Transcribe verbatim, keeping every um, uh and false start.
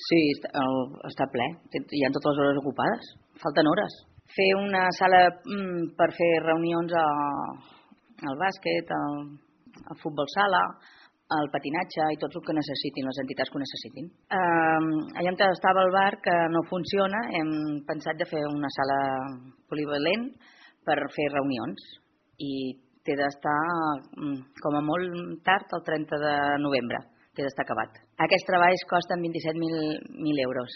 Sí, està, el, està ple. Hi ha totes les hores ocupades. Falten hores. Fer una sala mm, per fer reunions a, al bàsquet, al, al futbol sala, al patinatge i tot el que necessitin, les entitats que ho necessitin. Eh, allà on estava el bar, que no funciona, hem pensat de fer una sala polivalent per fer reunions i té d'estar com a molt tard, el trenta de novembre, té d'estar acabat. Aquests treballs costen vint-i-set mil euros.